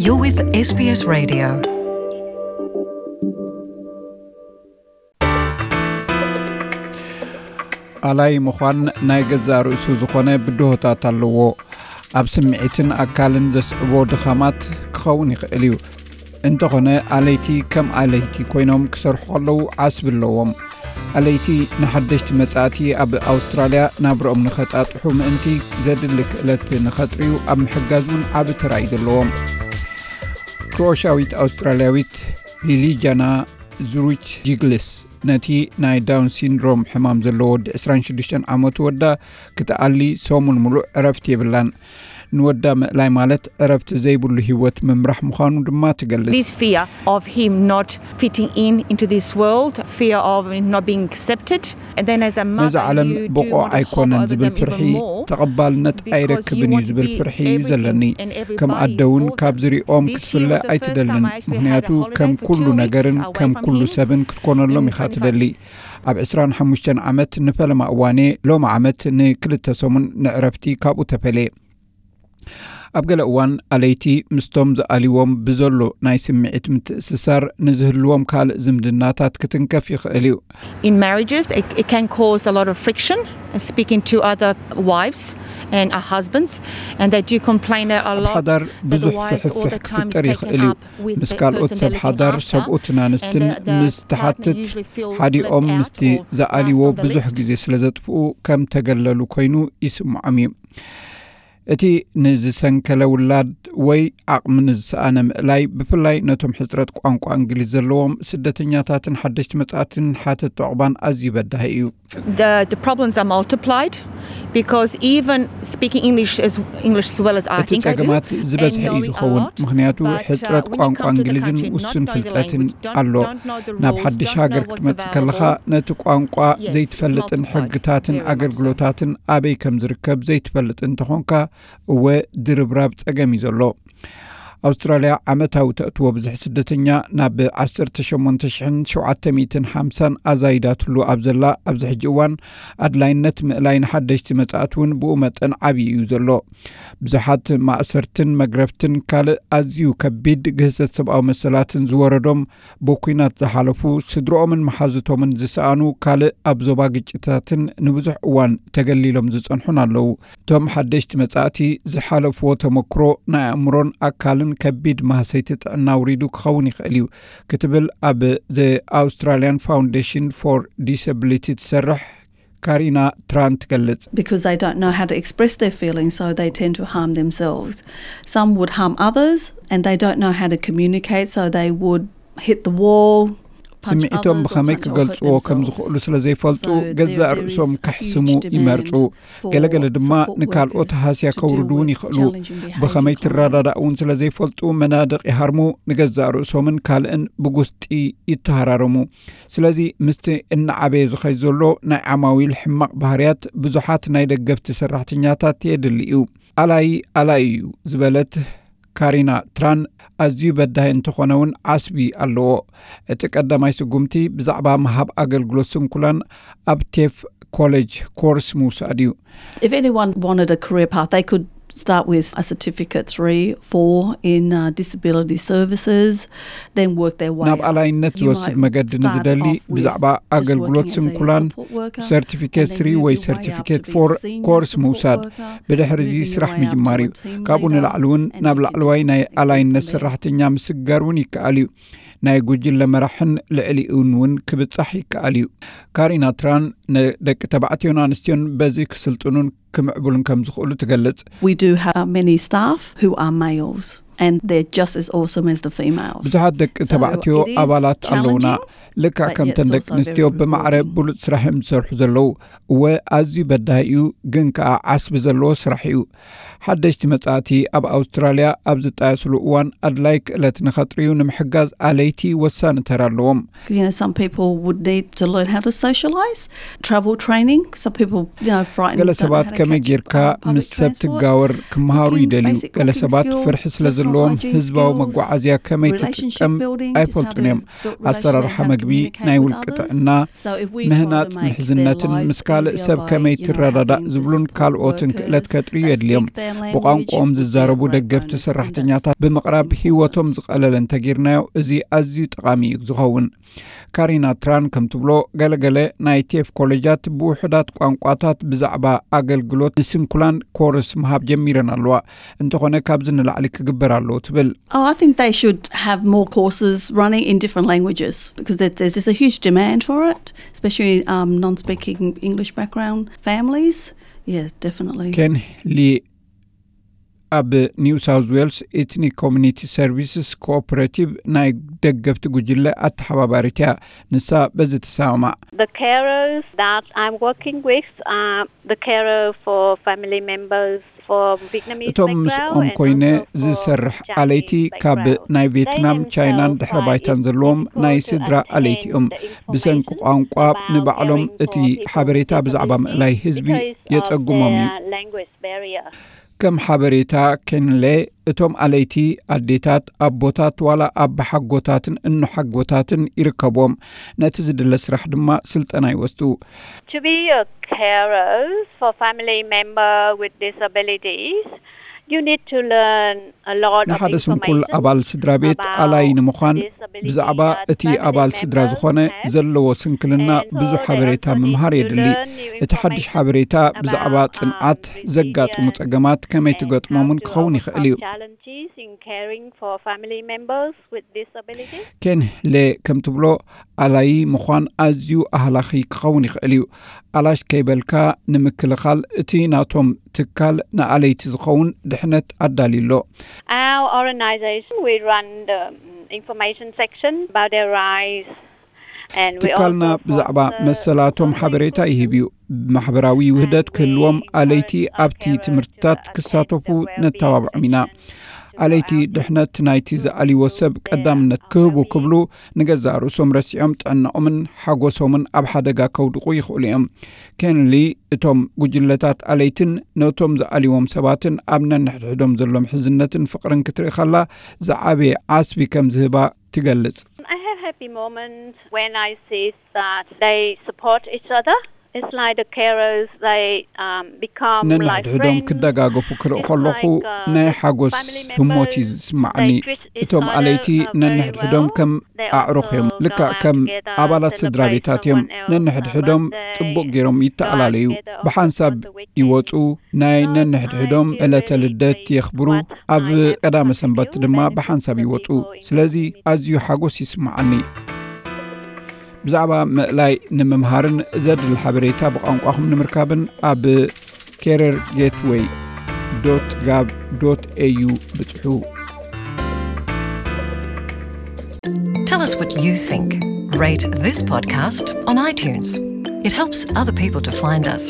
You're with S B S Radio. ኣላይ ምዃን ናይ ገዛእ ርእሱ ዝኾነ ብድሆታት ኣለዎ። ኣብ ስምዒትን ኣካልን ዘስዕቦ ድኻማት ክኸውን ይኽእል እዩ። እንተኾነ፣ ኣለይቲ ከም ኣለይቲ ኮይኖም ክሰርሑ ከለዉ ዓስቢ ኣለዎም። ኣለይቲ ንሓደሽቲ መጻእቲ ኣብ ኣውስትራልያ ናብርኦም ንኸጣጥሑ ምእንቲ ዘድሊ ክእለት ንኸጥርዩ ኣብ ምሕጋዝ እውን ዓቢ ተራ እዩ ዘለዎም። ክሮኤሽያዊት ኣውስትራልያዊት ሊሊጃና ዙሪች ጂግልስ ነቲ ናይ ዳውን ሲንድሮም ሕማም ዘለዎ ወዲ ዕስራን ሽዱሽተን ዓመቱ ወዳ ክትኣሊ ሰሙን ምሉእ ዕረፍቲ የብላን። ንወዳ ምእላይ ማለት ዕረፍቲ ዘይብሉ ህይወት ምምራሕ ምዃኑ ድማ ትገልጽ። This fear of him not fitting in into this world, fear of not being accepted. And then as a ነዚ mother, ዓለም you do ብቑዕ want to hold ኣይኮነን over ዝብል them ፍርሒ፣ even more ተቐባልነት because you ኣይረክብን እዩ want to ዝብል be ፍርሒ እዩ everything ዘለኒ። And everybody ከም ኣደ እውን for ካብ them. ዝሪኦም This ክትፍለ year was the first time ኣይትደልን። I actually had ምኽንያቱ a holiday ከም for ኩሉ two ነገርን weeks away ከም from ኩሉ him ሰብን ክትኮነሎም in ኢኻ ትደሊ። twenty-five years. ኣብ ዕስራን ሓሙሽተን ዓመት ንፈለማ እዋኔ ሎሚ ዓመት ንክልተ ሰሙን ንዕረፍቲ ካብኡ ተፈልየ። ኣብ ገለ እዋን ኣለይቲ ምስቶም ዝኣልዎም ብዘሎ ናይ ስምዒት ምትእስሳር ንዝህልዎም ካልእ ዝምድናታት ክትንከፍ ይኽእል እዩ። In marriages, it, it can cause a lot of friction, uh, speaking to other wives and our husbands, and they do complain a ኣብ lot ሓዳር that the ብዙሕ wives all ፍሕፍሕ the time is ክፍጠር taken ይኽእል እዩ። Up with ምስ the ካልኦት person ሰብ they're looking ሓዳር after, ሰብኡትን ኣንስትን and the, the ምስ partner ትሓትት usually feel ሓዲኦም left out ምስቲ or ዝኣልዎ last on the ብዙሕ list. ግዜ ስለ ዘጥፍኡ ከም ተገለሉ ኮይኑ ይስምዖም እዩ። እቲ ንዝሰንከለ ውላድ ወይ ዓቕሚ ንዝሰኣነ ምእላይ፣ ብፍላይ ነቶም ሕጽረት ቋንቋ እንግሊዝ ዘለዎም ስደተኛታትን ሓደሽቲ መጻእትን ሓተት ዑቕባን ኣዝዩ በዳሂ እዩ። The, the problems are multiplied because even speaking English as, English as well as I እቲ think I do, ጸገማት ዝበዝሐ እዩ ዝኸውን። ምኽንያቱ ሕጽረት ቋንቋ እንግሊዝን ውሱን ፍልጠትን ኣሎ። ናብ ሓድሽ ሃገር ክትመጽእ ከለኻ ነቲ ቋንቋ ዘይትፈልጥን ሕግታትን ኣገልግሎታትን ኣበይ ከም ዝርከብ ዘይትፈልጥ እንተኾንካ፣ እወ ድርብራብ ጸገም እዩ ዘሎ። ኣውስትራልያ ዓመታዊ ተእትዎ ብዝሒ ስደተኛ ናብ ዓሰርተ ሸሞንተ ሽሕን ሸውዓተ ሚእትን ሓምሳን ኣዛይዳትሉ ኣብ ዘላ ኣብዚ ሕጂ እዋን፣ ኣድላይነት ምእላይ ንሓደሽቲ መጻእቲ እውን ብኡ መጠን ዓብዪ እዩ ዘሎ። ብዙሓት ማእሰርትን መግረፍትን ካልእ ኣዝዩ ከቢድ ግህሰት ሰብኣዊ መሰላትን ዝወረዶም፣ ብኲናት ዝሓለፉ፣ ስድርኦምን መሓዙቶምን ዝሰኣኑ፣ ካልእ ኣብ ዞባ ግጭታትን ንብዙሕ እዋን ተገሊሎም ዝጸንሑን ኣለዉ። እቶም ሓደሽቲ መጻእቲ ዝሓለፍዎ ተመክሮ ናይ ኣእምሮን ኣካልን ከቢድ ማህሰይቲ ጥዕና ኣውሪዱ ክኸውን ይኽእል እዩ ክትብል ኣብ The Australian Foundation for Disability ትሰርሕ ካሪና ትራን ትገልጽ። Because they don't know how to express their feelings, so they tend to harm themselves. Some would harm others, and they don't know how to communicate, so they would hit the wall, punch others, or punch or hurt themselves. ስምዒቶም ብኸመይ ክገልጽዎ ከም ዝኽእሉ ስለ ዘይፈልጡ፣ ገዛእ ርእሶም ከሕስሙ ይመርጹ። ገለገለ ድማ ንካልኦት ሃስያ ከውርዱ እውን ይኽእሉ። ብኸመይ ትረዳዳእ እውን ስለ ዘይፈልጡ፣ መናድቕ ይሃርሙ፣ ንገዛእ ርእሶምን ካልእን ብጉስጢ ይተሃራረሙ። ስለዚ ምስቲ እናዓበየ ዝኸይድ ዘሎ ናይ ዓማዊል ሕማቕ ባህርያት ብዙሓት ናይ ደገፍቲ ሰራሕተኛታት የድሊ እዩ። ኣላይ ኣላይ እዩ ዝበለት ካሪና ትራን ኣዝዩ በዳሂ እንተኾነ እውን ዓስቢ ኣለዎ። እቲ ቀዳማይ ስጉምቲ ብዛዕባ ምሃብ ኣገልግሎት ስንኩላን ኣብ ቴፍ ኮሌጅ ኮርስ ምውሳድ እዩ። If anyone wanted a career path, they could start with a certificate three, four in uh, disability services, then work their way ናብ up. ኣላይነት You ዝወስድ might መገዲ start ንዝደሊ off with ብዛዕባ just ኣገልግሎት working as a ስንኩላን support worker, ሰርቲፊኬት and then ስሪ ወይ move your way up ሰርቲፊኬት to be ፎር senior ኮርስ support ምውሳድ፣ worker, ብድሕሪ እዚ moving your ስራሕ way up to ምጅማር a እዩ። Team ካብኡ leader, ንላዕሊ እውን and ናብ then ላዕለዋይ ናይ into ኣላይነት executive level. ሰራሕተኛ ምስጋር እውን ይከኣል እዩ። ናይ ጉጅለ መራሕን ልዕሊኡን እውን ክብጻሕ ይከኣል እዩ። ካሪና ትራን ንደቂ ተባዕትዮን ኣንስትዮን በዚ ክስልጥኑን ክምዕብሉን ከም ዝኽእሉ ትገልጽ። We do have many staff who are males, and they're just as awesome as the females. ብዙሓት ደቂ ተባዕትዮ ኣባላት ኣለውና። ልክዕ ከምተን ደቂ ኣንስትዮ ብማዕረ ብሉጽ ስራሕ እዮም ዝሰርሑ ዘለዉ። እወ፣ ኣዝዩ በዳሂ እዩ፣ ግን ከኣ ዓስቢ ዘለዎ ስራሕ እዩ። ሓደሽቲ መጻእቲ ኣብ ኣውስትራልያ ኣብ ዝጣየስሉ እዋን ኣድላይ ክእለት ንኸጥርዩ ንምሕጋዝ ኣለይቲ ወሳኒ ተራ ኣለዎም። You know, some people would need to learn how to socialise, travel training. Some people, you know, frightened, ገለ ሰባት ከመይ ጌርካ ምስ ሰብ ትጋወር ክመሃሩ ይደልዩ። ገለ ሰባት ፍርሒ ስለ ሎም ህዝባዊ መጓዓዝያ ከመይ ትጥቀም ኣይፈልጡን እዮም። ኣሰራርሓ መግቢ፣ ናይ ውልቂ ጥዕና፣ ምህናጽ ምሕዝነትን ምስ ካልእ ሰብ ከመይ ትረዳዳእ ዝብሉን ካልኦትን ክእለት ከጥርዩ የድልዮም። ብቋንቋኦም ዝዛረቡ ደገፍቲ ሰራሕተኛታት ብምቕራብ ህይወቶም ዝቐለለ እንተጌርናዮ፣ እዚ ኣዝዩ ጠቓሚ እዩ ዝኸውን። ካሪና ትራን ከም ትብሎ፣ ገለገለ ናይ ቴፍ ኮሌጃት ብውሑዳት ቋንቋታት ብዛዕባ ኣገልግሎት ንስንኩላን ኮርስ ምሃብ ጀሚረን ኣለዋ። እንተኾነ ካብዚ ንላዕሊ ክግበር ኣለዎ ትብል። Oh, I think they should have more courses running in different languages because there's, there's a huge demand for it, especially um, non-speaking English background families. Yeah, definitely. ኬን ሊ ኣብ ኒው ሳውዝ ዌልስ ኤትኒክ ኮሚኒቲ ሰርቪስስ ኮኦፐሬቲቭ ናይ ደገፍቲ ጉጅለ ኣተሓባባሪት እያ። ንሳ በዚ ትሰማማዕ። The carers that I'm working with are the carer for family members for Vietnamese እቶም background ምስኦም and ኮይነ also for ዝሰርሕ Chinese ኣለይቲ ካብ background. ናይ They ቬትናም፣ ቻይናን themselves ድሕሪ find ባይታን it ዘለዎም difficult to ስድራ ኣለይቲ obtain እዮም። the ብሰንኪ information ቋንቋ about ንባዕሎም caring እቲ for people ሓበሬታ with ብዛዕባ disabilities ምእላይ ህዝቢ because of የጸግሞም እዩ። Their language barrier. ከም ሓበሬታ ኬንሌ፣ እቶም ኣለይቲ ኣዴታት፣ ኣቦታት፣ ዋላ ኣባሓጎታትን እኖሓጎታትን ይርከብዎም። ነቲ ዝድለ ስራሕ ድማ ስልጠና ይወስዱ። To be a carer for family member with disabilities, you need to learn a lot of ንሓደ ስንኩል information ኣባል ስድራ ቤት ኣላይ ንምዃን ብዛዕባ እቲ ኣባል ስድራ ዝኾነ ዘለዎ ስንክልና ብዙሕ ሓበሬታ ምምሃር የድሊ። እቲ ሓድሽ ሓበሬታ ብዛዕባ ጽንዓት፣ ዘጋጥሙ ጸገማት ከመይ ትገጥሞምን ክኸውን ይኽእል እዩ። Challenges in caring for family members with disabilities. ኬን ሌ ከም ትብሎ፣ ኣላይ ምዃን ኣዝዩ ኣህላኺ ክኸውን ይኽእል እዩ። ኣላሽ ከይበልካ ንምክልኻል እቲ ናቶም ትካል ንኣለይቲ ዝኸውን ድሕነት ኣዳልዩ ኣሎ። Our organization, we run the um, information section about their rights. And we ትካልና also ብዛዕባ sponsor መሰላቶም ሓበሬታ ይህብ እዩ። ማሕበራዊ ውህደት ክህልዎም ኣለይቲ ኣብቲ ትምህርትታት ክሳተፉ ነተባብዖም ኢና። ኣለይቲ ድሕነት ናይቲ ዝኣልዎ ሰብ ቀዳምነት ክህቡ ክብሉ ንገዛእ ርእሶም ረሲዖም ጥዕናኦምን ሓጎሶምን ኣብ ሓደጋ ከውድቑ ይኽእሉ እዮም። ኬንሊ፣ እቶም ጉጅለታት ኣለይትን ነቶም ዝኣልዎም ሰባትን ኣብ ነንሕድሕዶም ዘሎ ምሕዝነትን ፍቕርን ክትርኢ ከላ ዝዓበየ ዓስቢ ከም ዝህባ ትገልጽ። I have happy moments when I see that they support each other. It's like the carers, they um, become like ነንሕድሕዶም friends. ክደጋገፉ ክርኢ ከለኹ ናይ ሓጎስ ህሞት እዩ ዝስማዓኒ። እቶም ኣለይቲ ነንሕድሕዶም ከም ኣዕሩኽ እዮም። ልክዕ ከም ኣባላት ስድራ ቤታት እዮም። ነንሕድሕዶም ጽቡቕ ገይሮም ይተኣላለዩ። ብሓንሳብ ይወጹ፣ ናይ ነንሕድሕዶም ዕለተ ልደት የኽብሩ። ኣብ ቀዳመ ሰንበት ድማ ብሓንሳብ ይወጹ። ስለዚ ኣዝዩ ሓጎስ ይስምዓኒ። ብዛዕባ ምእላይ ንምምሃርን ዘድሊ ሓበሬታ ብቋንቋኹም ንምርካብን ኣብ carer gateway dot gov dot au ብጽሑ። Tell us what you think. Rate this podcast on iTunes. It helps other people to find us.